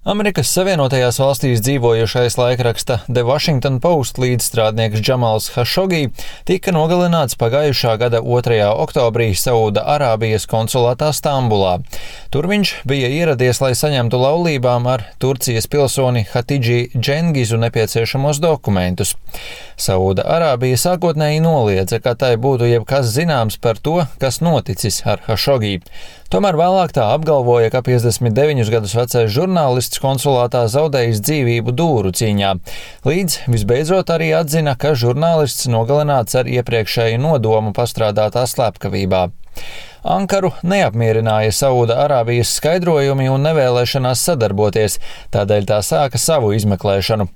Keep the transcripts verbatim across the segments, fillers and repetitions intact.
Amerikas Savienotajās valstīs dzīvojošais laikraksta The Washington Post līdzstrādnieks Džamals Hašogī tika nogalināts pagājušā gada otrajā oktobrī Sauda Arābijas konsulātā Stambulā. Tur viņš bija ieradies, lai saņemtu laulībām ar Turcijas pilsoni Hatidži Džengizu nepieciešamos dokumentus. Sauda Arābija sākotnēji noliedza, ka tai būtu jebkas zināms par to, kas noticis ar Hašogī. Tomēr vēlāk tā apgalvoja, ka piecdesmit deviņus gadus vecais žurnālists konsulātā zaudējis dzīvību dūru cīņā, līdz visbeidzot arī atzina, ka žurnālists nogalināts ar iepriekšēju nodomu pastrādātā slepkavībā. Ankaru neapmierināja Sauda Arābijas skaidrojumi un nevēlēšanās sadarboties, tādēļ tā sāka savu izmeklēšanu.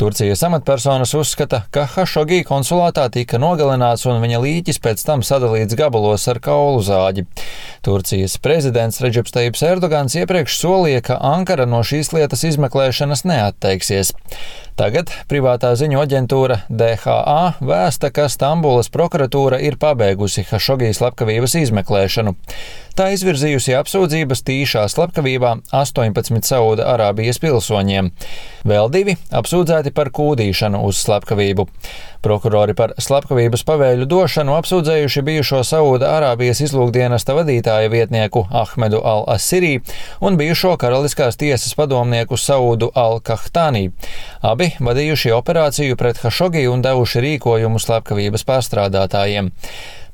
Turcijas amatpersonas uzskata, ka Hašogī konsulātā tika nogalināts un viņa līķis pēc tam sadalīts gabalos ar kaulu zāģi. Turcijas prezidents Redžeps Tajips Erdogans iepriekš solīja, ka Ankara no šīs lietas izmeklēšanas neatteiksies. Tagad privātā ziņu aģentūra D H A vēsta, ka Stambulas prokuratūra ir pabeigusi Hašogī slepkavības izmeklēšanu. Tā izvirzījusi apsūdzības tīšā slepkavībā astoņpadsmit Sauda Arābijas pilsoņiem. Vēl divi apsūdzēti par kūdīšanu uz slepkavību. Prokurori par slepkavības pavēļu došanu apsūdzējuši bijušo Sauda Arābijas izlūkdienesta vadītāja vietnieku Ahmedu al-Asirī un bijušo karaliskās tiesas padomnieku Saudu al-Kahtānī. Abi vadījuši operāciju pret Hašogī un devuši rīkojumu slepkavības pārstrādātājiem.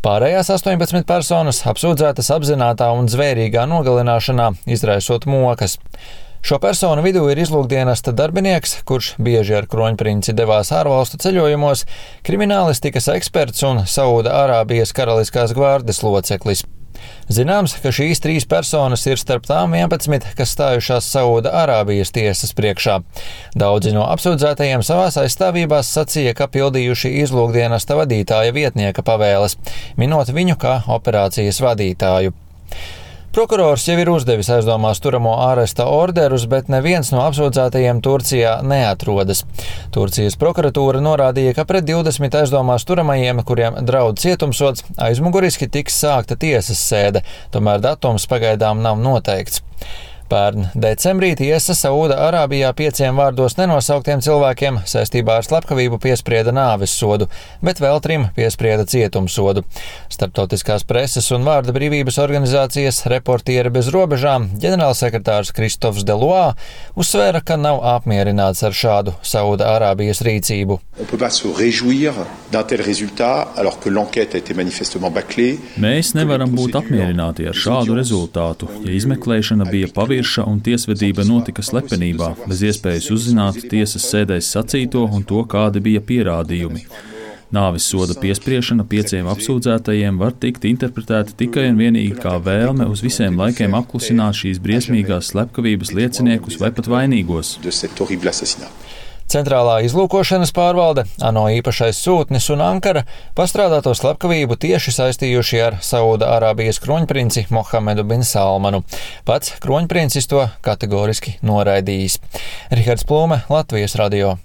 Pārējās astoņpadsmit personas apsūdzētas apzinātā un zvērīgā nogalināšanā, izraisot mokas. Šo personu vidū ir izlūkdienesta darbinieks, kurš bieži ar kroņprinci devās ārvalstu ceļojumos, kriminālistikas eksperts un Sauda Arābijas karaliskās gvardes loceklis. Zināms, ka šīs trīs personas ir starp tām vienpadsmit, kas stājušās Sauda Arābijas tiesas priekšā. Daudzi no apsūdzētajiem savās aizstāvībās sacīja, ka pildījuši izlūkdienesta vadītāja vietnieka pavēles, minot viņu kā operācijas vadītāju. Prokurors jau ir uzdevis aizdomās turamo āresta orderus, bet neviens no apsūdzētajiem Turcijā neatrodas. Turcijas prokuratūra norādīja, ka pret divdesmit aizdomās turamajiem, kuriem draud cietumsods, aizmuguriski tiks sākta tiesas sēde, tomēr datums pagaidām nav noteikts. Pērn decembrī tiesa Sauda Arābijā pieciem vārdos nenosauktiem cilvēkiem saistībā ar slepkavību piesprieda nāves sodu, bet vēl trim piesprieda cietumsodu. Starptautiskās preses un vārda brīvības organizācijas Reportieri bez robežām ģenerālsekretārs Kristofs Deloā uzsvēra, ka nav apmierināts ar šādu Sauda Arābijas rīcību. Mēs nevaram būt apmierināti ar šādu rezultātu, ja izmeklēšana bija pavirša un tiesvedība notika slepenībā, bez iespējas uzzināt tiesas sēdēs sacīto un to, kādi bija pierādījumi. Nāves soda piespriešana pieciem apsūdzētajiem var tikt interpretēta tikai un vienīgi kā vēlme uz visiem laikiem apklusināt šīs briesmīgās slepkavības lieciniekus vai pat vainīgos. Centrālā izlūkošanas pārvalde, ANO īpašais sūtnis un Ankara pastrādāto slepkavību tieši saistījuši ar Sauda Arābijas kroņprinci Mohamedu bin Salmanu. Pats kroņprincis to kategoriski noraidījis. Rihards Plūme, Latvijas radio.